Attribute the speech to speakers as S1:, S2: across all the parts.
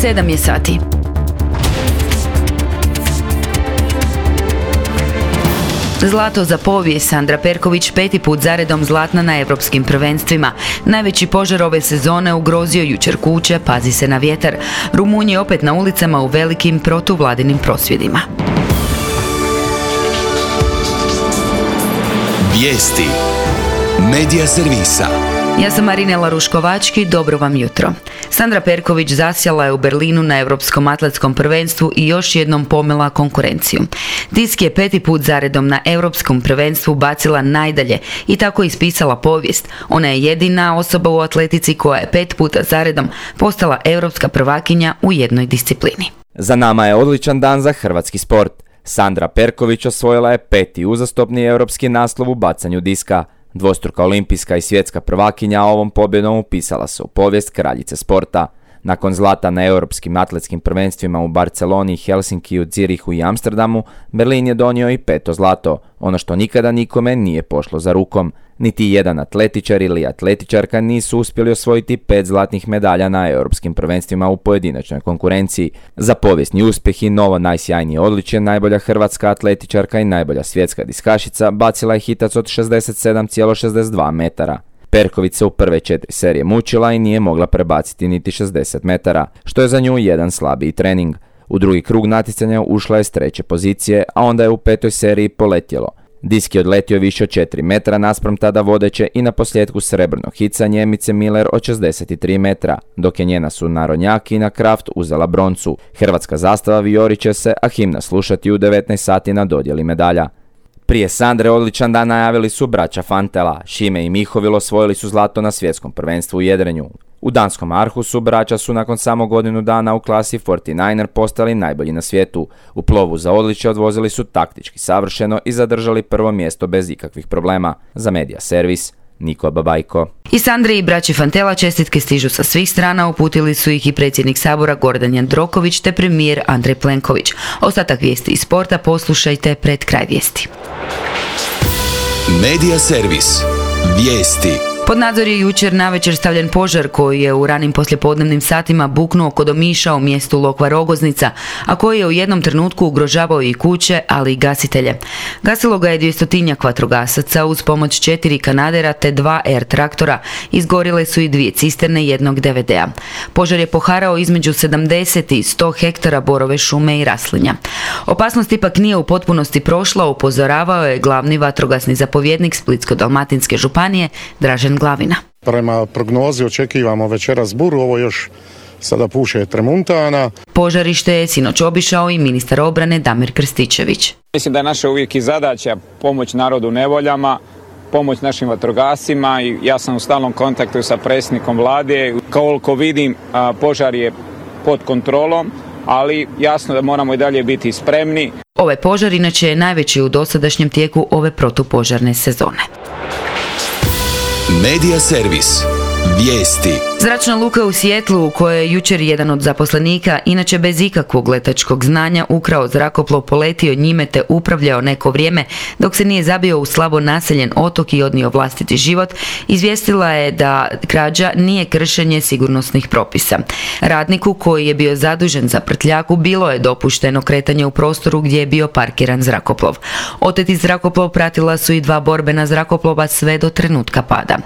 S1: 7 je sati. Zlato za povijest. Sandra Perković 5. put zaredom zlatna na europskim prvenstvima. Najveći požar ove sezone ugrozio jučer kuće, pazi se na vjetar. Rumunji opet na ulicama u velikim protuvladinim prosvjedima.
S2: Vijesti Medija servisa.
S1: Ja sam Marinela Ruškovački, dobro vam jutro. Sandra Perković zasjala je u Berlinu na Europskom atletskom prvenstvu i još jednom pomela konkurenciju. Disk je 5. put zaredom na Europskom prvenstvu bacila najdalje i tako ispisala povijest. Ona je jedina osoba u atletici koja je 5 puta zaredom postala europska prvakinja u jednoj disciplini.
S3: Za nama je odličan dan za hrvatski sport. Sandra Perković osvojila je 5. uzastopni europski naslov u bacanju diska. Dvostruka olimpijska i svjetska prvakinja ovom pobjedom upisala se u povijest kraljice sporta. Nakon zlata na europskim atletskim prvenstvima u Barceloni, Helsinkiju, Zirihu i Amsterdamu, Berlin je donio i 5. zlato, ono što nikada nikome nije pošlo za rukom. Niti jedan atletičar ili atletičarka nisu uspjeli osvojiti 5 zlatnih medalja na europskim prvenstvima u pojedinačnoj konkurenciji. Za povijesni uspjeh i novo najsjajnije odličje najbolja hrvatska atletičarka i najbolja svjetska diskašica bacila je hitac od 67,62 metara. Perković se u prve 4 serije mučila i nije mogla prebaciti niti 60 metara, što je za nju jedan slabiji trening. U drugi krug natjecanja ušla je s 3. pozicije, a onda je u 5. seriji poletjelo. Disk je odletio više od 4 metra naspram tada vodeće i na posljedku srebrno hica Njemice Miller od 63 metra, dok je njena sunarodnjak Ina Kraft uzela broncu. Hrvatska zastava vijorit će se, a himna slušati u 19 sati na dodjeli medalja. Prije Sandre odličan dan najavili su braća Fantela. Šime i Mihovil osvojili su zlato na svjetskom prvenstvu u jedrenju. U danskom Arhusu braća su nakon samo godinu dana u klasi 49er postali najbolji na svijetu. U plovu za odličje odvozili su taktički savršeno i zadržali prvo mjesto bez ikakvih problema. Za Medija servis, Niko Babajko.
S1: I Sandri i braći Fantela čestitke stižu sa svih strana, uputili su ih i predsjednik Sabora Gordan Jandroković te premijer Andrej Plenković. Ostatak vijesti iz sporta poslušajte pred kraj vijesti.
S2: Medija servis. Vijesti.
S1: Pod nadzor je jučer navečer stavljen požar koji je u ranim poslijepodnevnim satima buknuo kod Omiša u mjestu Lokva Rogoznica, a koji je u jednom trenutku ugrožavao i kuće, ali i gasitelje. Gasilo ga je 200-tinjak vatrogasaca uz pomoć 4 kanadera te 2 air traktora. Izgorile su i 2 cisterne i jednog DVD-a. Požar je poharao između 70 i 100 hektara borove šume i raslinja. Opasnost ipak nije u potpunosti prošla, upozoravao je glavni vatrogasni zapovjednik Splitsko-dalmatinske županije Dražen Glavina.
S4: Prema prognozi očekivamo večeras buru, ovo još sada puše tremuntana.
S1: Požarište je sinoć obišao i ministar obrane Damir Krstičević.
S5: Mislim da je naša uvijek i zadaća pomoć narodu u nevoljama, pomoć našim vatrogascima i ja sam u stalnom kontaktu sa predsjednikom vlade. Koliko vidim, požar je pod kontrolom, ali jasno da moramo i dalje biti spremni.
S1: Ovaj požar inače je najveći u dosadašnjem tijeku ove protupožarne sezone.
S2: Medija servis. Vijesti.
S1: Zračna luka u Sijetlu u kojoj je jučer jedan od zaposlenika, inače bez ikakvog letačkog znanja, ukrao zrakoplov, poletio njime te upravljao neko vrijeme dok se nije zabio u slabo naseljen otok i odnio vlastiti život, izvijestila je da krađa nije kršenje sigurnosnih propisa. Radniku koji je bio zadužen za prtljaku bilo je dopušteno kretanje u prostoru gdje je bio parkiran zrakoplov. Oteti zrakoplov pratila su i 2 borbena zrakoplova sve do trenutka pada.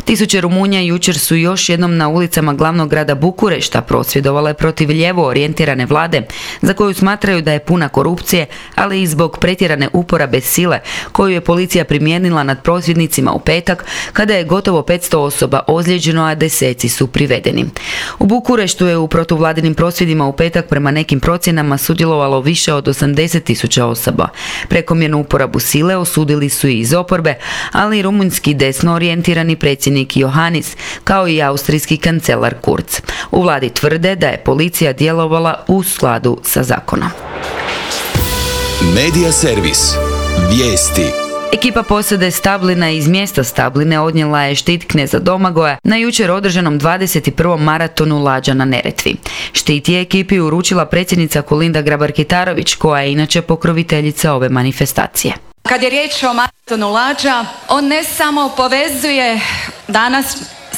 S1: Tisuće Rumunja jučer su još jednom na ulicama glavnog grada Bukurešta prosvjedovale protiv lijevo orijentirane vlade, za koju smatraju da je puna korupcije, ali i zbog pretjerane uporabe sile koju je policija primijenila nad prosvjednicima u petak, kada je gotovo 500 osoba ozlijeđeno, a deseci su privedeni. U Bukureštu je u protuvladinim prosvjedima u petak prema nekim procjenama sudjelovalo više od 80.000 osoba. Prekomjernu uporabu sile osudili su i iz oporbe, ali i rumunjski desno orijentirani predsjednik Johannis, kao i austrijski kancelar Kurz. U vladi tvrde da je policija djelovala u skladu sa zakonom.
S2: Medija servis. Vijesti.
S1: Ekipa posade Stablina iz mjesta Stabline odnijela je štit kneza Domagoja na jučer održanom 21. maratonu Lađa na Neretvi. Štit je ekipi uručila predsjednica Kolinda Grabar-Kitarović, koja je inače pokroviteljica ove manifestacije.
S6: Kad je riječ o maratonu Lađa, on ne samo povezuje danas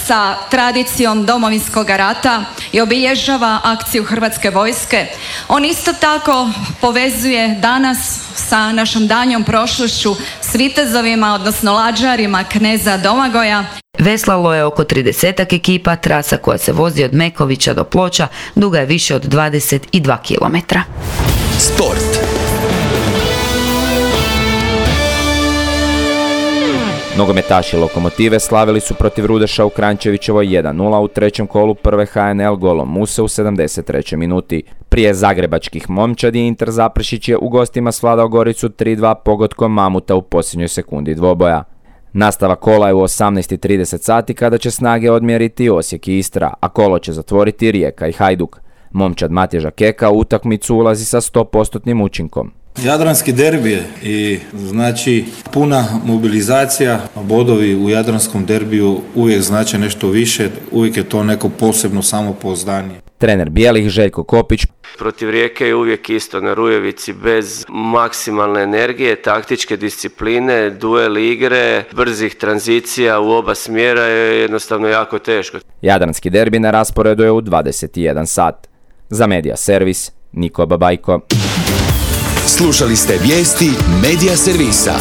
S6: sa tradicijom Domovinskog rata i obilježava akciju Hrvatske vojske. On isto tako povezuje danas sa našom danjom prošlošću s vitezovima, odnosno lađarima kneza Domagoja.
S1: Veslalo je oko 30 ekipa, trasa koja se vozi od Mekovića do Ploča duga je više od 22 km.
S2: Sport.
S3: Nogometaši Lokomotive slavili su protiv Rudeša u Kranjčevićevoj 1-0 u trećem kolu prve HNL golom Muse u 73. minuti. Prije zagrebačkih momčadi Inter Zaprešić je u gostima svladao Goricu 3-2 pogodkom Mamuta u posljednjoj sekundi dvoboja. Nastavak kola je u 18:30 sati kada će snage odmjeriti Osijek i Istra, a kolo će zatvoriti Rijeka i Hajduk. Momčad Matježa Keka u utakmicu ulazi sa 100% učinkom.
S7: Jadranski derbi je i znači puna mobilizacija, bodovi u jadranskom derbiju uvijek znače nešto više, uvijek je to neko posebno samopouzdanje.
S3: Trener bijelih Željko Kopić.
S8: Protiv Rijeke je uvijek isto na Rujevici, bez maksimalne energije, taktičke discipline, duel igre, brzih tranzicija u oba smjera je jednostavno jako teško.
S3: Jadranski derbi na rasporedu je u 21 sat. Za Medija Servis, Niko Babajko.
S2: Slušali ste vijesti Medija Servisa.